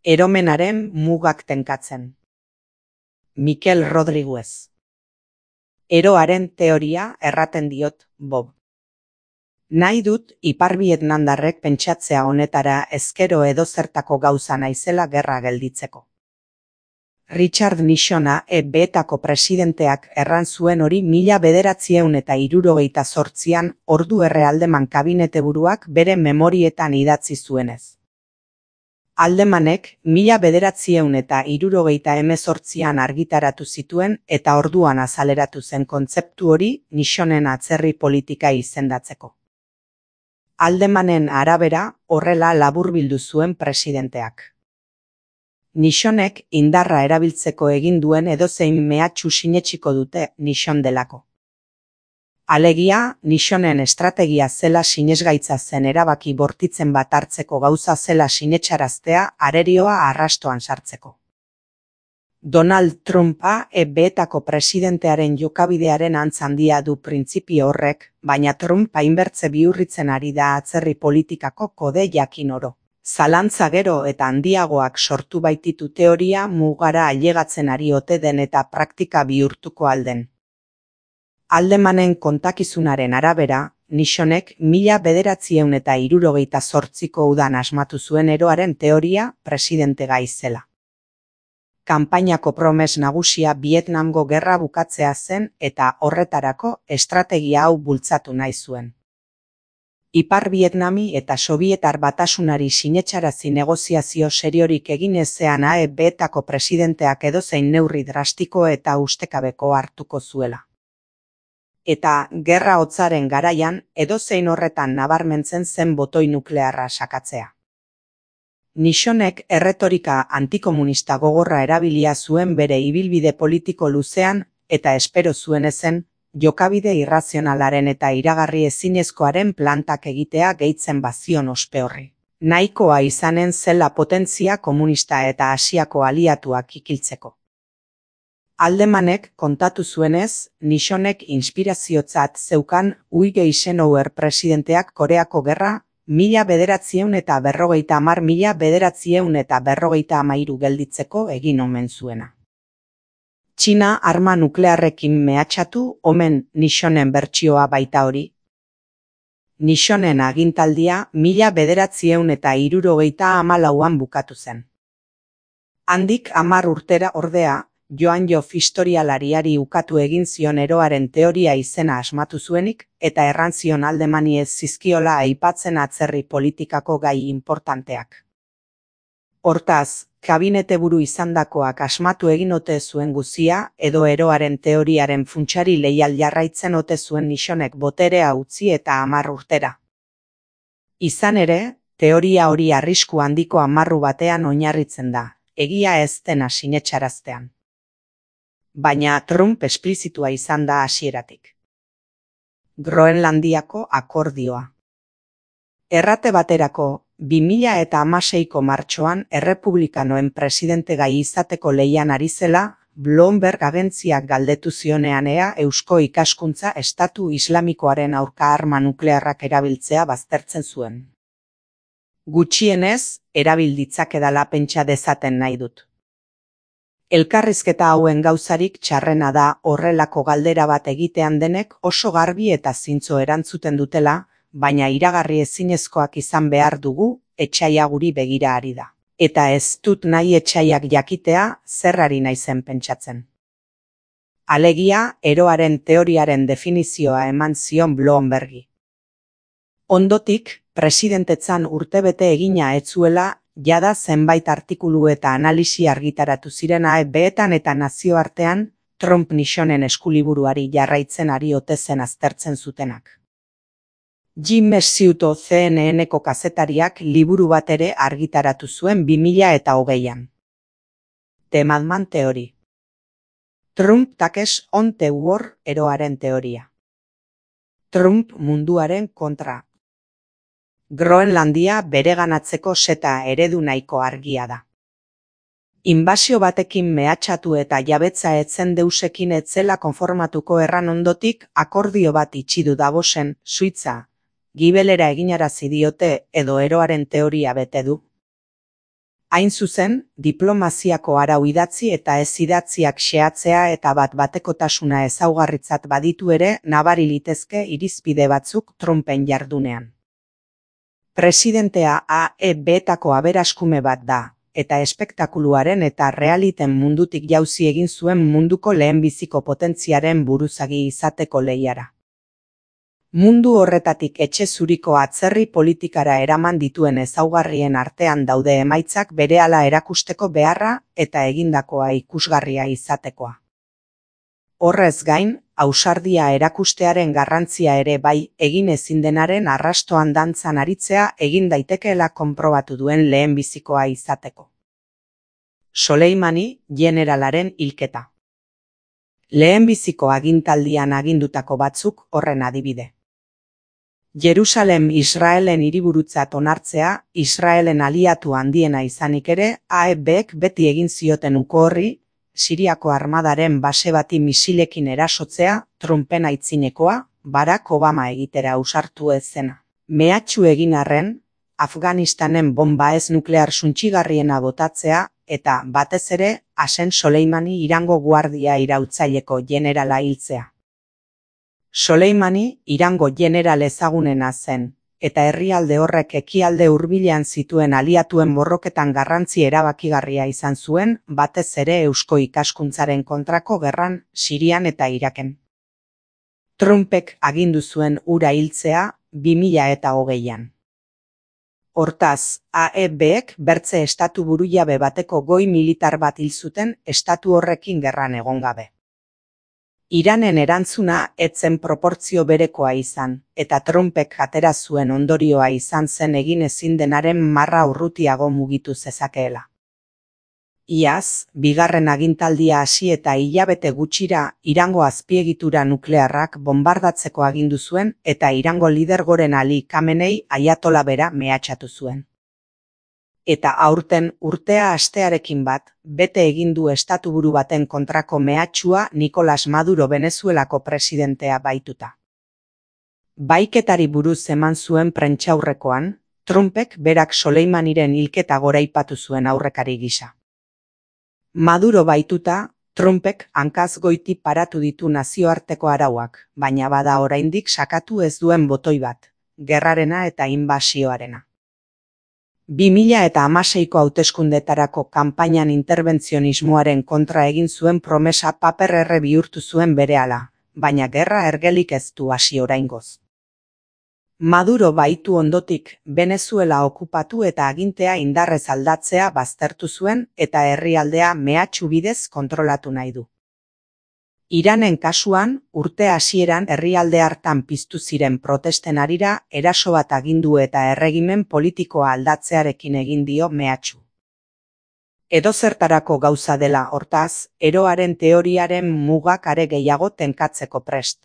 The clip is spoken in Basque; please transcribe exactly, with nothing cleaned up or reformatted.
Eromenaren mugak tenkatzen. Mikel Rodriguez. Eroaren teoria erraten diot, Bob. Nahi dut Ipar Vietnamdarrek pentsatzea honetara ezkero edozertako gauza naizela gerra gelditzeko. Richard Nixona E B-etako presidenteak erran zuen hori mila bederatzieun eta hirurogeita zortzian ordu errealdeman kabineteburuak bere memorietan idatzi zuenez. Aldemanek mila bederatzieun eta hirurogeita hemezortzian argitaratu zituen eta orduan azaleratu zen kontzeptu hori Nixonen atzerri politika izendatzeko. Aldemanen arabera horrela laburbildu zuen presidenteak. Nixonek indarra erabiltzeko egin duen edozein mehatxu sinetsiko dute Nixon delako. Alegia, Nixonen estrategia zela sinesgaitza zen erabaki bortitzen bat hartzeko gauza zela sinetsaraztea arerioa arrastoan sartzeko. Donald Trumpa E B-etako presidentearen jokabidearen antz handia du printzipio horrek, baina Trump hainbertze bihurritzen ari da atzerri politikako kode jakin oro. Zalantza gero eta handiagoak sortu baititu teoria mugara ailegatzen ari ote den eta praktika bihurtuko alden. Aldemanen kontakizunaren arabera, Nixonek mila bederatzieun eta hirurogeita zortziko udan asmatu zuen eroaren teoria presidente gai zela. Kanpainako promes nagusia Vietnamgo gerra bukatzea zen eta horretarako estrategia hau bultzatu nahi zuen. Ipar Vietnami eta Sobietar batasunari sinetsarazi negoziazio seriorik egin ezean E B-etako presidenteak edozein neurri drastiko eta ustekabeko hartuko zuela. Eta gerra hotzaren garaian edozein horretan nabarmentzen zen botoi nuklearra sakatzea. Nixonek erretorika antikomunista gogorra erabilia zuen bere ibilbide politiko luzean eta espero zuen ezen, jokabide irrazionalaren eta iragarri ezinezkoaren plantak egitea gehitzen bazion ospe horri. Nahikoa izanen zela potentzia komunista eta Asiako aliatuak ikiltzeko. Aldemanek kontatu zuenez, Nixonek inspiraziotzat zeukan Ui Eisenhower presidenteak Koreako gerra, mila bederatzieun eta berrogeita hamar mila bederatzieun eta berrogeita hamairu gelditzeko egin omen zuena. Txina arma nuklearrekin mehatxatu omen Nixonen bertsioa baita hori. Nixonen agintaldia mila bederatzieun eta hirurogeita hamalauan bukatu zen. Handik hamar urtera ordea, Joan Joff historialariari ukatu egin zion eroaren teoria izena asmatu zuenik eta erran zion Aldemani ez zizkiola aipatzen atzerri politikako gai importanteak. Hortaz, kabineteburu izandakoak asmatu egin ote zuen guzia edo eroaren teoriaren funtsari leial jarraitzen ote zuen Nixonek boterea utzi eta hamar urtera. Izan ere, teoria hori arrisku handiko amarru batean oinarritzen da, egia ez dena sinetsaraztean. Baina Trump esplizitua izan da hasieratik. Groenlandiako akordioa. Errate baterako, bi mila eta hamaseiko martxoan errepublikanoen presidente gai izateko lehian ari zela, Bloomberg agentziak galdetu zionean ea Eusko Ikaskuntza Estatu Islamikoaren aurka arma nuklearrak erabiltzea baztertzen zuen. Gutxienez, erabil ditzakedala pentsa dezaten nahi dut. Elkarrizketa hauen gauzarik txarrena da horrelako galdera bat egitean denek oso garbi eta zintzo erantzuten dutela, baina iragarri ezinezkoak izan behar dugu, etsaia guri begira ari da. Eta ez dut nahi etsaiak jakitea zerrari naizen pentsatzen. Alegia, eroaren teoriaren definizioa eman zion Bloombergi. Ondotik, presidentetzan urtebete egina ez zuela, jada zenbait artikulu eta analisi argitaratu ziren E B-etan eta nazioartean, Trump Nixonen eskuliburuari jarraitzen ari ote zen aztertzen zutenak. Jim Messiuto C N N-ko kazetariak liburu bat ere argitaratu zuen bi mila eta hogeian. The Madman Theory. Trump takes on the war eroaren teoria. Trump munduaren kontra. Groenlandia bereganatzeko seta eredu nahiko argia da. Inbasio batekin mehatxatu eta jabetza etzen deusekin etzela konformatuko erran ondotik akordio bat itxidu Davosen, Suitza, gibelera eginarazi diote edo eroaren teoria bete du. Hain zuzen, diplomaziako arau idatzi eta ez idatziak xehatzea eta bat batekotasuna ezaugarritzat baditu ere nabari litezke irizpide batzuk Trumpen jardunean. Presidentea A E B-etako aberaskume bat da, eta espektakuluaren eta realiten mundutik jauzi egin zuen munduko lehenbiziko potentziaren buruzagi izateko lehiara. Mundu horretatik etxe zuriko atzerri politikara eraman dituen ezaugarrien artean daude emaitzak berehala erakusteko beharra eta egindakoa ikusgarria izatekoa. Horrez gain, ausardia erakustearen garrantzia ere bai egin ezin denaren arrastoan dantzan aritzea egin daitekeela konprobatu duen lehenbizikoa izateko. Soleimani jeneralaren hilketa. Lehenbiziko agintaldian agindutako batzuk horren adibide. Jerusalem Israelen hiriburutzat onartzea, Israelen aliatu handiena izanik ere, A E B-ek beti egin zioten uko horri, Siriako armadaren base bati misilekin erasotzea, Trumpen aitzinekoa, Barack Obama egitera ausartu ez zena. Mehatxu egin arren, Afganistanen bomba ez nuklear suntsigarriena botatzea, eta batez ere, Qasem Soleimani Irango guardia irautzaileko jenerala hiltzea. Soleimani Irango jeneral ezagunena zen, eta herrialde horrek ekialde hurbilean zituen aliatuen borroketan garrantzi erabakigarria izan zuen, batez ere eusko ikaskuntzaren kontrako gerran, Sirian eta Iraken. Trumpek agindu zuen hura hiltzea, bi mila eta hogeian. Hortaz, A E B-ek bertze estatu burujabe bateko goi militar bat hil zuten estatu horrekin gerran egon gabe. Iranen erantzuna ez zen proportzio berekoa izan, eta Trumpek atera zuen ondorioa izan zen egin ezin denaren marra urrutiago mugitu zezakeela. Iaz, bigarren agintaldia hasi eta hilabete gutxira Irango azpiegitura nuklearrak bombardatzeko agindu zuen eta Irango lidergoren Ali Khamenei aiatola bera mehatxatu zuen. Eta aurten urtea astearekin bat, bete egin du estatuburu baten kontrako mehatxua Nicolas Maduro Venezuelako presidentea baituta. Baiketari buruz eman zuen prentsaurrekoan, Trumpek berak Soleimaniren hilketa goraipatu zuen aurrekari gisa. Maduro baituta, Trumpek hankaz goiti paratu ditu nazioarteko arauak, baina bada oraindik sakatu ez duen botoi bat, gerrarena eta inbasioarena. bi mila eta hamaseiko hauteskundetarako kanpainan interbentzionismoaren kontra egin zuen promesa paper erre bihurtu zuen berehala, baina gerra ergelik ez du hasi oraingoz. Maduro baitu ondotik, Venezuela okupatu eta agintea indarrez aldatzea baztertu zuen eta herrialdea mehatxu bidez kontrolatu nahi du. Iranen kasuan, urte hasieran herrialde hartan piztu ziren protesten harira eraso bat agindu eta erregimen politikoa aldatzearekin egin dio mehatxu. Edozertarako gauza dela hortaz, eroaren teoriaren mugak are gehiago tenkatzeko prest.